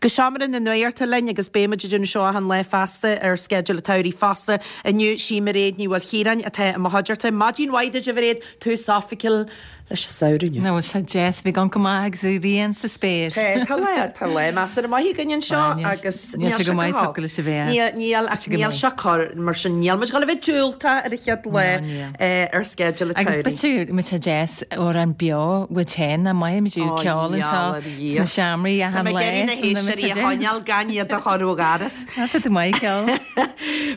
Go seomra na nuachta linn agus beidh muid ag déanamh seo achan lá feasta ar sceideal an tsamhraidh fosta. Inniu, sí Mairéad Ní Mhaoilchiaráin atá i mo chuideachta. Maidin mhaith duit a Mhairéad, tús oifigiúil leis an samhradh inniu. Bhuel tá sé deas, bhí go maith agus an ghrian sa spéir. Tá, tá lá, tá lá measartha maith againn anseo agus níl sé go maith socair leis a bheith. Níl, ach níl sé corr, mar sin níl muid ag dul a bheith diúltach ar an chéad lá ar sceideal an tsamhraidh. Agus b'fhéidir go mbeidh sé deas amhrán beo uait féin, nach maith muid ag ceol anseo sna seomraí achan lá. Tá mé ag iarraidh na héisteoirí a choinneáil gan iad a chur ó dhoras. Tá tú maith ag ceol.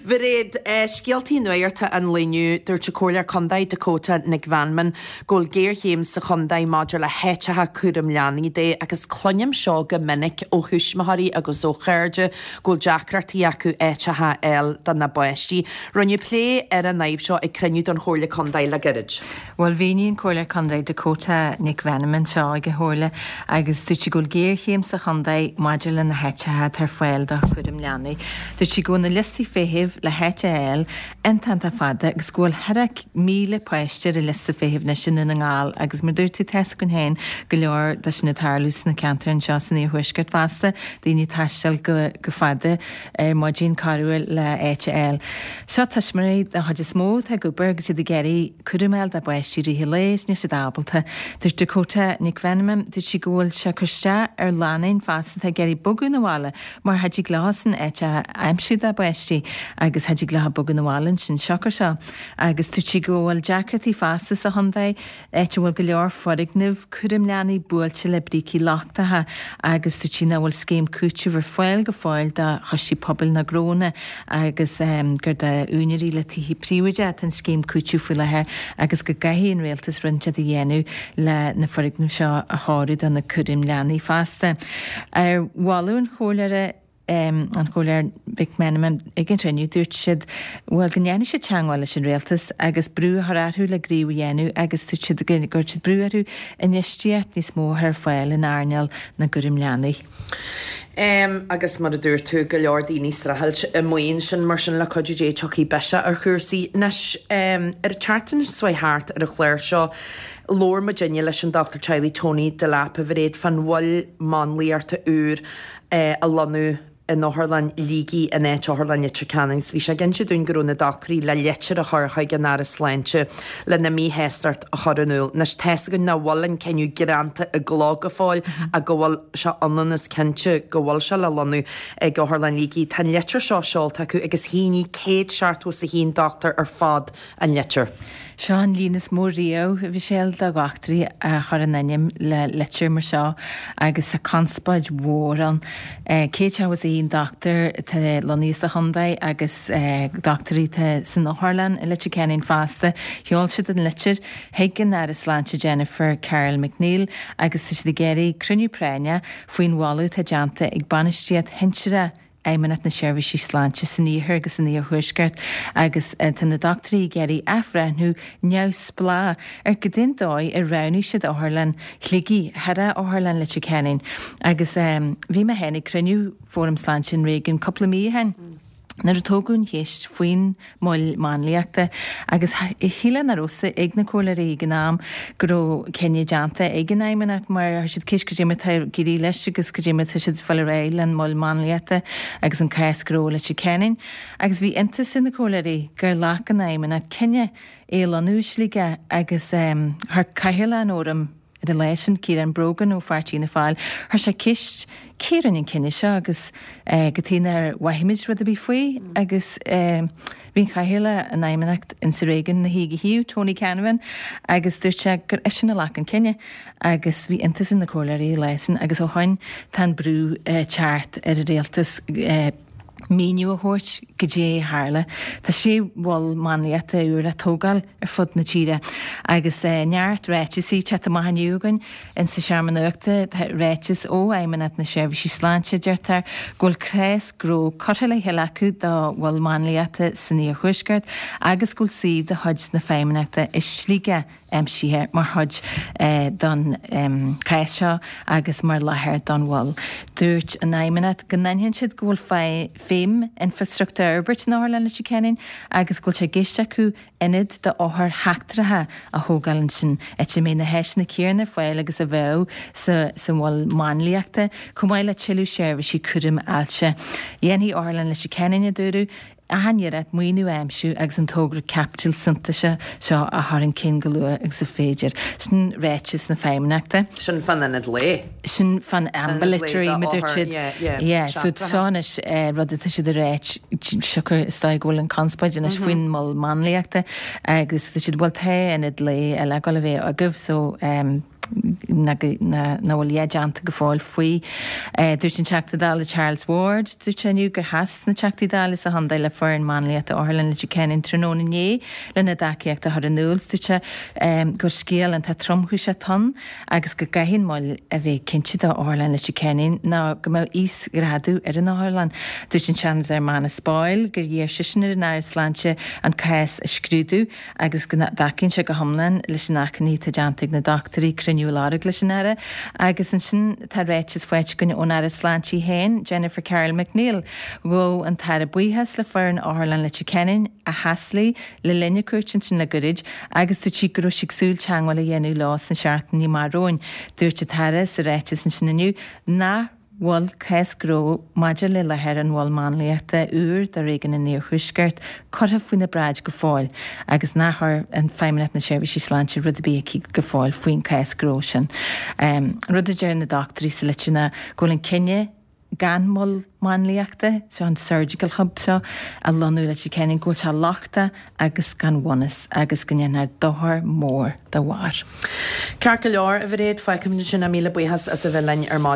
Mhairéad, scéaltaí nuachta an lae inniu, dúirt an Comhairleoir Contae Dakota Nic Mheanman go bhfuil géarchéim sa chontae maidir le háiteacha cúram leanaí de agus cluinim seo go minic ó thuismitheoirí agus ó chairde go bhfuil deacrachtaí acu áiteacha a fháil do na bpáistí. Rinneadh plé ar an fhadhb seo ag cruinniú den Chomhairle Contae le gairid. Bhuel, mhínigh an Comhairleoir Contae Dakota Nic Mheanman seo ag an Chomhairle agus dúirt sí go bhfuil géarchéim sa chontae maidir le na háiteacha atá ar fáil do chúram leanaí. Dúirt sí go bhfuil na liostaí feithimh le háit a fháil iontach iontach fada agus go bhfuil thar 1,000 páiste ar an liosta feithimh anois i nDún na nGall agus mar dúirt tú tá's againn féin go leor de sin ag tarlú sna ceantair anseo san iarthuaisceart fosta, daoine ag taisteal go go fada ar maidin corruair le áit a fháil. Seo tuismitheoirí den chuid is mó atá ag obair agus iad ag iarraidh cúram a fháil dá bpáistí i rith an lae is níl siad ábalta. Dúirt Dakota Nic Mheanman, dúirt sí go bhfuil sé ag cur isteach ar lánúin fosta atá ag iarraidh bogadh 'na bhaile mar cha dtig leosan áit a aimsiú dá bpáistí agus cha dtig leo bogadh 'na bhaile ansin siocair seo. Agus dúirt sí go bhfuil deacrachtaí fosta sa chontae áit a bhfuil go leor foirgneamh cúraim leanaí buailte le brící lochtacha agus dúirt sí nach bhfuil scéim cúitimh ar fáil go fóill do choistí pobail ná gnónna agus gur do úinéirí le tithe príobháideacha atá an scéim cúitimh faoi láthair agus go gcaithfidh an rialtas rud inteacht a dhéanamh le na foirgnimh seo a chóiriú do na cúraim leanaí fosta. Ar mholadh an chomhairleora, an Chomhairleoir Mhic Meanman ag an chruinniú, dúirt siad, bhuel, go ndéanfaidh siad teagmháil leis an Rialtas agus brú a chur orthu le gníomh a dhéanamh agus dúirt siad go gcuirfidh siad brú orthu infheistíocht níos mó a chur ar fáil in earnáil na gcúram leanaí. Agus mar a dúirt tú, go leor daoine ag streachailt amuigh ansin, mar sin le cuidiú Dé tiocfaidh biseach ar chúrsaí. Anois, ar an tseachtain seo chuaigh thart ar an chlár seo, labhair muidinne leis an Dochtúir Teaghlaigh Tony Delap, a Mhairéad, fán mhol máinliachta úr a lonnú in Otharlann Shligigh in áit Otharlann Leitir Ceanainn agus bhí sé ag inse dúinn go raibh na dochtúirí le litir a chur chuig an Aire Sláinte lena míshástacht a chur in iúl. Anois tá's againn nach bhfuil an cinneadh greanta i gcló go fóill ach go bhfuil sé ionann is cinnte go bhfuil sé le lonnú ag Otharlann Shligigh. Tá an litir seo seolta acu agus shínigh 171 dochtúir ar fad an litir. Seo an líon is mó riamh, a Mhichelle, de dhochtúirí a chuir a n-ainm le litir mar seo agus tá conspóid mhór ann. 171 dochtúir atá lonnaithe sa chontae agus dochtúirí atá san otharlann i Leitir Ceanainn fosta. Sheol siad an litir chuig an Aire Sláinte Jennifer Carroll MacNeill agus tá siad ag iarraidh cruinniú práinne faoin mholadh atá déanta ag bainistíocht shinsearach Fheidhmeannacht na Seirbhísí Sláinte san Iarthar agus san Iarthuaisceart agus tá na dochtúirí ag iarraidh athbhreithniú neamhspleách ar goidé an dóigh ar roghnaigh siad Otharlann Shligigh thar Otharlann Leitir Ceanainn agus bhí mé féin ag cruinniú Fóram Sláinte an Réigiúin cúpla mí ó shin nuair a tógadh an cheist faoin mol máinliachta agus shílfeá nach raibh fhios ag na comhairleoirí ag an am go raibh cinneadh déanta ag an Fheidhmeannacht mar chuir siad ceist goidé mar atá ag éirí leis agus goidé mar atá siad ag fáil ar aghaidh le an mol máinliachta agus an cás gnó i Leitir Ceanainn agus bhí iontas ar na comhairleoirí gur ghlac an Fheidhmeannacht cinneadh é a lonnú i Sligeach agus chuir Cathaoirleach an Fhóraim Ar an lá sin, Ciarán Brogan ó pháirtí Fhianna Fáil, chuir sé ceist cé a rinne an cinneadh seo agus cad chuige nár mhothaigh muid rud ar bith faoi agus bhí an Cathaoirleach an Fheidhmeannacht insa réigiún ina shuí ag a thaobh, Tony Canavan, agus dúirt sé gur eisean a ghlac an cinneadh agus bhí iontas ar na comhairleoirí an lá sin agus ó shoin tá an brú ag teacht ar an rialtas míniú a thabhairt goidé a tharla. Tá sé mhol máinliachta úr le tógáil ar fud na tíre agus neart ráiteasaí ag teacht amach inniu againn insa seomra nuachta. Tá ráiteas ó Fheidhmeannacht na Seirbhísí Sláinte, deirtear go bhfuil cás gnó curtha le chéile acu do mhol máinliachta san iarthuaisceart agus go bhfuil suíomh de chuid na Feidhmeannachta i Sligeach. aimsithe mar chuid don chás seo agus mar láthair don mhol. Dúirt an Fheidhmeannacht go n-aithníonn siad go bhfuil feidhm infreastruchtúir á fhorbairt in Otharlann Leitir Ceanainn agus go bhfuil sé i gceist acu ionad d'othair sheachtracha a thógáil ansin, áit a mbeidh na háiseanna céanna ar fáil agus a bheadh sa mhol máinliachta, chomh maith le tuilleadh seirbhísí cúraim ailse. Dhéanfaidh Otharlann Leitir Ceanainn, a dúradh, achan iarracht maoiniú a aimsiú agus an togra caipitil suntasach seo a chur chun cinn go luath agus is féidir. Sin ráiteas na Feidhmeannachta. Sin fán ionad lae. Sin fán ambulatory, mar a dúirt siad. Yeah, so seo anois rud atá siad a ráit, siocair is dóigh go bhfuil an conspóid anois faoin mol máinliachta agus tá siad, bhuel tá ionad lae eile ag dul a bheith agaibh so nach bhfuil a dhath déanta go fóill faoi. Dúirt an Teachta Dála Charles Ward, dúirt sé inniu gur sheas na Teachtaí Dála sa chontae le foireann máinliachta Otharlann Leitir Ceanainn tráthnóna inné lena dtacaíocht a chur in iúl. Dúirt sé gur scéal iontach tromchúiseach ann agus go gcaithfidh an mol a bheith cinnte do Otharlann Leitir Ceanainn ná go mbeadh íosghrádú ar an otharlann. Dúirt an Seanadóir Manus Boyle gur iarr seisean ar an Aire Sláinte an cás a scrúdú agus go dtacaíonn sé go hiomlán leis an achainí atá déanta ag na dochtúirí cruinniú a lorg leis an Aire. Agus ansin tá ráiteas faighte againn ón Aire Sláinte í féin, Jennifer Carroll MacNeill. Ghabh an tAire buíochas le foireann Otharlann Leitir Ceanainn a sheas léi le linn a cuairte ansin le goirid agus dúirt sí go raibh sí ag súil teagmháil a dhéanamh leo sna seachtainí amach romhainn. Dúirt an tAire sa ráiteas ansin inniu nach bhfuil cás gnó maidir le láthair an mhoil máinliachta úir do Réigiún an Iarthuaiscirt curtha faoina bráid go fóill agus nár chuir an Feidhmeannacht na Seirbhísí Sláinte rud ar bith aici go fóill faoin chás gnó sin. An rud a deir na dochtúirí sa litir ná go bhfuil an cinneadh gan mol máinliachta, seo an surgical hub seo, a lonnú i Leitir Ceanainn, go bhfuil sé lochtach agus gan bhunús agus go ndéanfar dochar mór dá bharr. Ceart go leor, a Mhairéad, fágfaimid ansin é. Míle buíochas as a bheith linn ar maidin.